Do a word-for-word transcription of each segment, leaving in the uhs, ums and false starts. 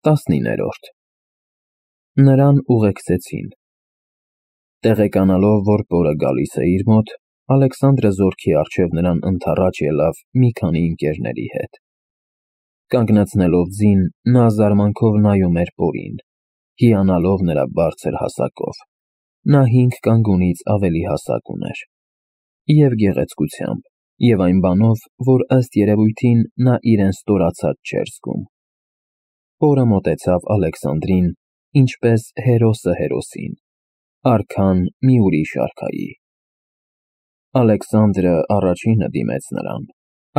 տասնիններորդ Նրան ուղեկցեցին։ Տեղեկանալով, որ պորը գալիս է իր մոտ, Ալեքսանդրը զորքի առջև նրան ընդառաջ ելավ մի քանի ընկերների հետ։ Կանգնացնելով ձին, նա զարմանքով նայում էր պորին, հիանալով նրա բարձր հասակով։ Նա հինգ կանգունից ավելի հասակ ուներ և գեղեցկությամբ, և այն բանով, որ ըստ երևույթին նա իրեն ստորացած չէր զգում։ Պորը մոտեցավ Ալեքսանդրին, ինչպես հերոսը հերոսին, արքան մի ուրիշ արքայի։ Ալեքսանդրը առաջինը դիմեց նրան,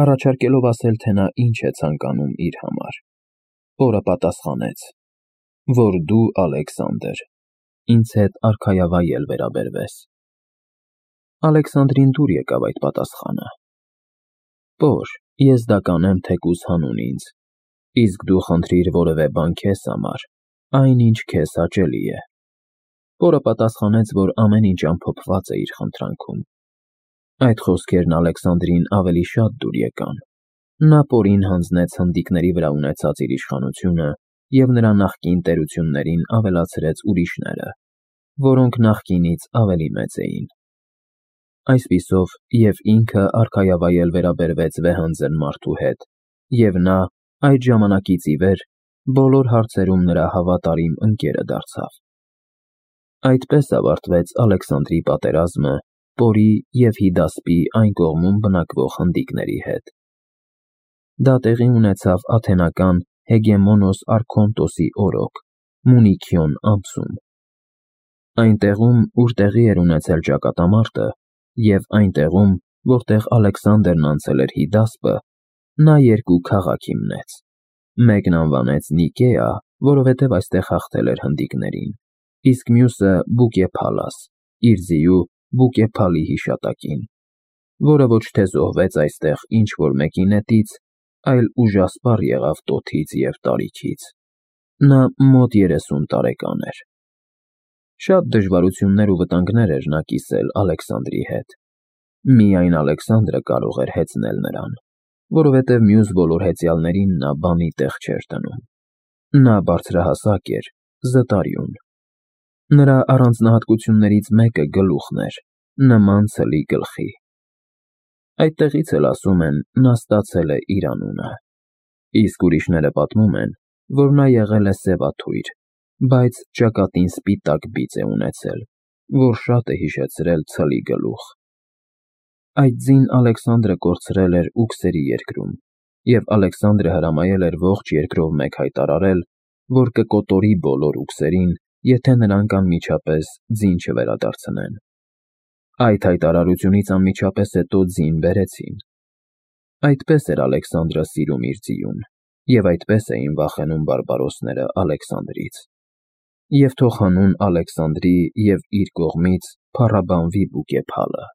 առաջարկելով ասել, թե նա ինչ է ցանկանում իր համար։ Պորը պատասխանեց, որ դու, Ալեքսանդր, ինձ հետ արքայավայել վերաբերվես։ Ալեքսանդրին դուր եկավ այդ պատասխանը. Պոր, ես դա կանեմ թեկուզ հանուն ինձ, իսկ դու խնդրիր որևէ բան քեզ համար, այն ինչ քեզ հաճելի է։ Պորը պատասխանեց, որ ամեն ինչ ամփոփված է իր խնդրանքում։ Այդ խոսքերն Ալեքսանդրին ավելի շատ դուր եկան։ Նա պորին հանձնեց հնդիկների վրա ունեցած իր իշխանությունը և նրա նախկին տերություններին ավելացրեց ուրիշները, որոնք նախկինից ավելի մեծ էին։ Այսպիսով և ինքը արքայավայել վերաբերվեց վեհանձն մարդու հետ, և նա այդ ժամանակից ի վեր բոլոր հարցերում նրա հավատարիմ ընկերը դարձավ։ Այդպես ավարտվեց Ալեքսանդրի պատերազմը պորի և Հիդասպի այն կողմում բնակվող հնդիկների հետ։ Դա տեղի ունեցավ աթենական Հեգեմոնոս Արքոնտոսի օրոք, Մունիքիոն ամսում։ Այն տեղում, ուր տեղի էր ունեցել ճակատամարտը, և այն տեղում, որտեղ Ալեքսանդրն անցել էր Հիդասպը, նա երկու քաղաք հիմնեց։ Մեկն անվանեց Նիկեա, որովհետև այստեղ հաղթել էր հնդիկներին, իսկ մյուսը Բուկեփալաս, իր ձիու Բուկեփալի հիշատակին, որը ոչ թե զոհվեց այստեղ ինչ-որ մեկի նետից, այլ ուժասպառ եղավ տոթից և տարիքից։ Նա մոտ երեսուն տարեկան էր։ Շատ դժվարություններ ու վտանգներ էր նա կիսել Ալեքսանդրի հետ։ Միայն Ալեքսանդրը կարող էր հեծնել նրան, որովհետև մյուս բոլոր հեծյալներին նա բանի տեղ չէր դնում։ Նա բարձրահասակ էր, զտարյուն։ Նրա առանձնահատկություններից մեկը գլուխն էր, նման ցլի գլխի։ Այդտեղից էլ ասում են, նա ստացել է իր անունը։ Իսկ ուրիշները պատմում են, որ նա եղել է սևաթույր, բայց ճակատին սպիտակ բիծ է ունեցել, որ շատ է հիշեցրել ցլի գլուխ։ Այդ ձին Ալեքսանդրը կորցրել էր Ուքսերի երկրում, և Ալեքսանդրը հրամայել էր ողջ երկրով մեկ հայտարարել, որ կկոտորի բոլոր ուքսերին, եթե նրանք անմիջապես ձին չվերադարձնեն։ Այդ հայտարարությունից անմիջապես հետո ձին բերեցին։ Այդպես էր Ալեքսանդրը սիրում իր ձիուն, և այդպես էին վախենում բարբարոսները Ալեքսանդրից։ Եվ թող հանուն Ալեքսանդրի և իր կողմից փառաբանվի Բուկեփալը։